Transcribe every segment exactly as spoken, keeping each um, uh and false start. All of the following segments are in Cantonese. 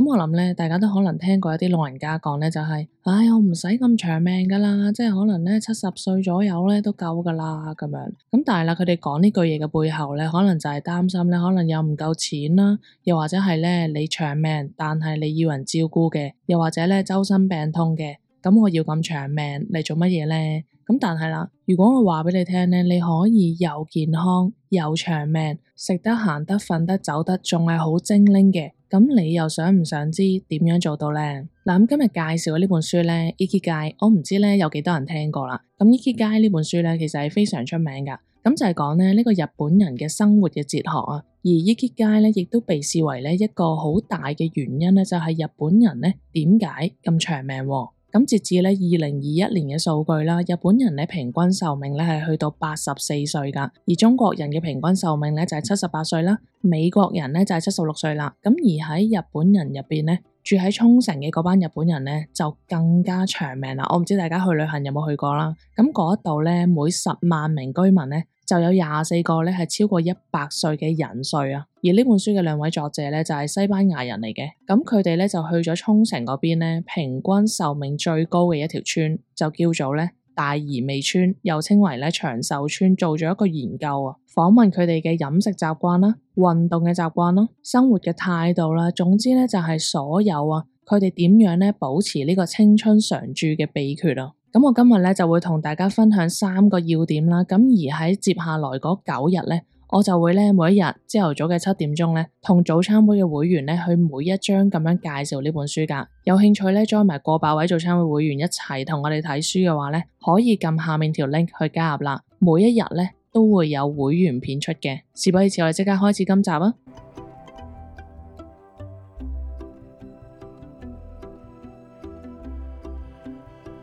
咁我諗咧，大家都可能聽過一啲老人家講咧，就係、是，唉，我唔使咁長命噶啦，即係可能咧七十歲左右咧都夠噶啦咁樣。咁但係啦，佢哋講呢句嘢嘅背後咧，可能就係擔心咧，可能又唔夠錢啦，又或者係咧你長命，但係你要人照顧嘅，又或者咧周身病痛嘅，咁我要咁長命嚟做乜嘢咧？咁但係啦，如果我話俾你聽咧，你可以又健康又長命，食得行得瞓得走得，仲係好精靈嘅。咁你又想唔想知點樣做到呢？嗱，咁今日介紹嘅呢本書咧，Ikigai，我唔知咧有幾多人聽過啦。咁 Ikigai 呢本書咧，其實係非常出名噶。咁就係講咧呢個日本人嘅生活嘅哲學啊。而 Ikigai 咧，亦都被視為咧一個好大嘅原因咧，就係日本人咧點解咁長命。咁截至咧二零二一年嘅數據啦，日本人咧平均壽命咧係去到八十四歲噶，而中國人嘅平均壽命咧就係七十八歲啦，美國人咧就係七十六歲啦。咁而喺日本人入邊咧，住喺沖繩嘅嗰班日本人咧就更加長命啦。我唔知大家去旅行有冇去過啦，咁嗰度咧每十萬名居民咧就有廿四個咧係超過一百歲嘅人歲啊。而呢本書嘅兩位作者咧就係西班牙人嚟嘅，咁佢哋咧就去咗沖繩嗰邊咧，平均壽命最高嘅一條村就叫做咧大宜味村，又稱為咧長壽村，做咗一個研究啊，訪問佢哋嘅飲食習慣啦、運動嘅習慣啦、生活嘅態度啦，總之咧就係所有啊，佢哋點樣咧保持呢個青春常駐嘅秘訣啊。咁我今日咧就會同大家分享三個要點啦，咁而喺接下來嗰九日咧，我就會咧每一日朝頭早嘅七點鐘咧，同早餐會嘅會員咧去每一章咁樣介紹呢本書噶。有興趣咧 join 埋過百位早餐會會員一齊同我哋睇書嘅話咧，可以撳下面條 link 去加入啦。每一日咧都會有會員片出嘅。事不宜遲，我哋即刻開始今集啊！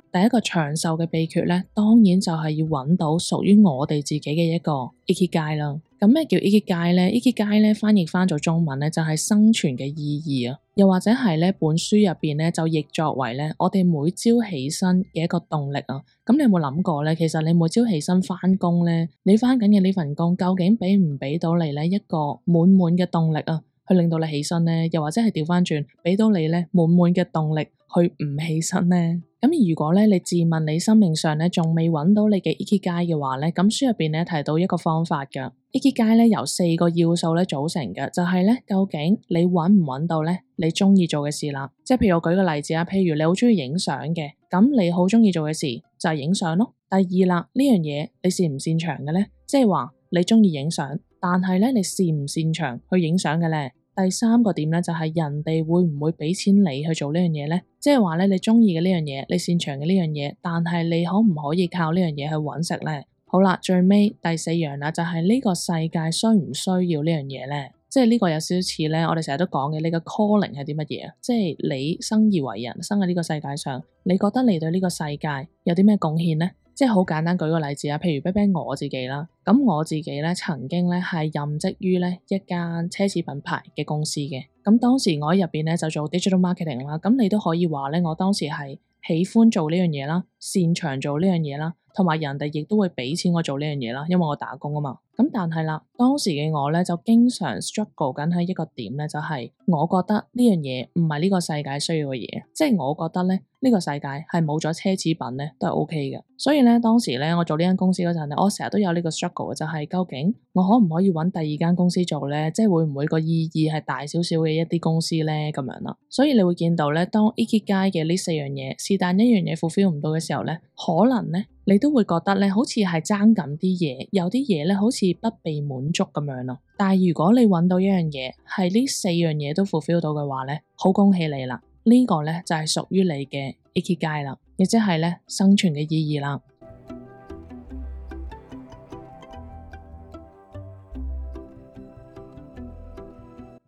第一個長壽嘅秘訣咧，當然就係要揾到屬於我哋自己嘅一個 Ikigai 啦。咁咩叫 Ikigai 咧 ？Ikigai 咧翻譯翻做中文咧就係生存嘅意義啊，又或者係咧本書入邊咧就譯作為咧我哋每朝起身嘅一個動力啊。咁你有冇諗過咧？其實你每朝起身翻工咧，你翻緊嘅呢份工究竟俾唔俾到你咧一個滿滿嘅動力啊，去令到你起身咧？又或者係調翻轉，俾到你咧滿滿嘅動力去唔起身咧？咁如果咧你自問你生命上咧仲未揾到你嘅 Ikigai 嘅話咧，咁書入邊咧提到一個方法噶。Ikigai 咧由四個要素咧組成嘅，就係咧究竟你揾唔揾到咧你中意做嘅事啦。即係譬如我舉個例子啊，譬如你好中意影相嘅，咁你好中意做嘅事就係影相咯。第二啦，呢樣嘢你擅唔擅長嘅咧？即係話你中意影相，但係咧你擅唔擅長去影相嘅咧？第三個點咧就係人哋會唔會俾錢你去做呢樣嘢咧？即係話咧你中意嘅呢樣嘢，你擅長嘅呢樣嘢，但係你可唔可以靠呢樣嘢去搵食咧？好啦，最尾第四樣啦，就係呢個世界需唔需要呢樣嘢咧？即係呢個有少少似咧，我哋成日都講嘅，你個 calling 係啲乜嘢啊？即係你生而為人，生喺呢個世界上，你覺得你對呢個世界有啲咩貢獻咧？即係好簡單，舉個例子啊，譬如比比我自己啦，咁我自己咧曾經咧係任職於咧一間奢侈品牌嘅公司嘅，咁當時我喺入邊咧就做 digital marketing 啦，咁你都可以話咧，我當時係喜歡做呢樣嘢啦，擅長做呢樣嘢啦，同埋人哋亦都會俾錢我做呢樣嘢啦，因為我打工啊嘛。咁但係啦，當時嘅我咧就經常 struggle 緊喺一個點咧，就係我覺得呢樣嘢唔係呢個世界需要嘅嘢，即係我覺得咧呢個世界係冇咗奢侈品咧都係 OK 嘅。所以咧當時咧我做呢間公司嗰陣咧，我成日都有呢個 struggle 嘅，就係究竟我可唔可以揾第二間公司做咧？即係會唔會個意義係大少少嘅一啲公司咧咁樣啦？所以你會見到咧，當 Ikigai 嘅呢四樣嘢是但一樣嘢 fulfill 唔到嘅時候咧，可能咧你都會覺得咧好似係爭緊啲嘢，有啲嘢咧好似不被滿足咁樣咯。但係如果你揾到一樣嘢係呢四樣嘢都 fulfill 到嘅話咧，好恭喜你啦！呢個咧就係屬於你嘅 Ikigai 啦，亦即係咧生存嘅意義啦。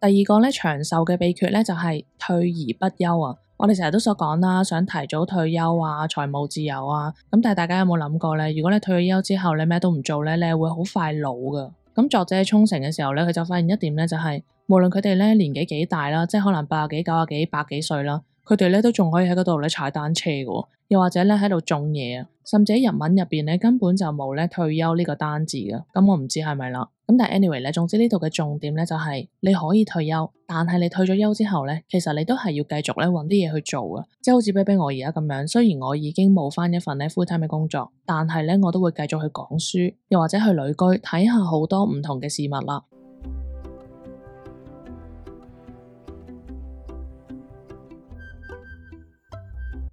第二個咧長壽嘅秘訣咧就係退而不休啊！我哋成日都所講啦，想提早退休啊，財務自由啊，咁但係大家有冇諗過咧？如果你退咗休之後你咩都唔做咧，你係會好快老噶。咁作者喺沖繩嘅時候咧，佢就發現一點咧，就係無論佢哋咧年紀幾大啦，即係可能八十幾、九十幾、百幾歲啦，佢哋咧都仲可以喺嗰度咧踩單車嘅，又或者咧喺度種嘢啊，甚至喺日文入邊咧根本就冇咧退休呢個單字嘅。咁我唔知係咪啦。咁但係 anyway 咧，總之呢度嘅重點咧就係你可以退休，但係你退咗休之後咧，其實你都係要繼續咧搵啲嘢去做嘅，即係好似比比我而家咁樣，雖然我已經冇返一份咧 full time 嘅工作，但係咧我都會繼續去講書，又或者去旅居睇下好多唔同嘅事物啦。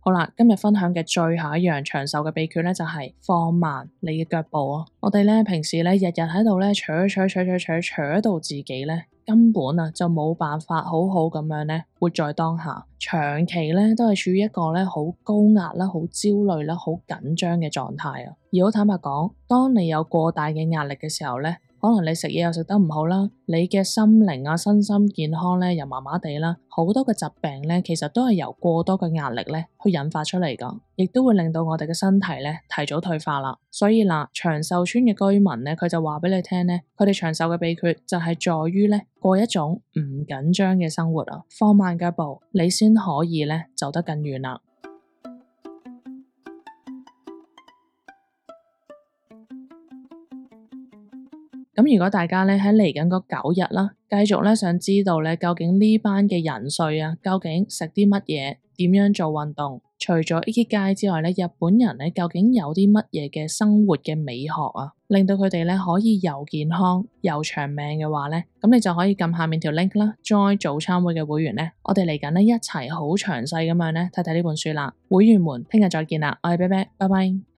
好啦，今日分享嘅最後一樣長壽嘅秘訣咧，就係放慢你嘅腳步啊！我哋咧平時咧日日喺度咧，扯扯扯扯扯扯到自己咧，根本啊就冇辦法好好咁樣咧活在當下，長期咧都係處於一個咧好高壓啦、好焦慮啦、好緊張嘅狀態啊！而好坦白講，當你有過大嘅壓力嘅時候咧，可能你食嘢又食得唔好啦，你嘅心靈啊、身心健康咧又麻麻地啦，好多嘅疾病咧，其實都係由過多嘅壓力咧去引發出嚟噶，亦都會令到我哋嘅身體咧提早退化啦。所以嗱，長壽村嘅居民咧，佢就話俾你聽咧，佢哋長壽嘅秘訣就係在於咧過一種唔緊張嘅生活啊，放慢腳步，你先可以咧走得更遠啦。咁如果大家咧喺嚟緊嗰九日啦，繼續咧想知道咧究竟呢班嘅人瑞啊，究竟食啲乜嘢，點樣做運動？除咗 Ikigai 之外咧，日本人咧究竟有啲乜嘢嘅生活嘅美學啊，令到佢哋咧可以又健康又長命嘅話咧，咁你就可以撳下面條 link 啦，join 早餐會嘅會員咧，我哋嚟緊咧一齊好詳細咁樣咧睇睇呢本書啦。會員們聽日再見啦，我係啤啤，拜拜。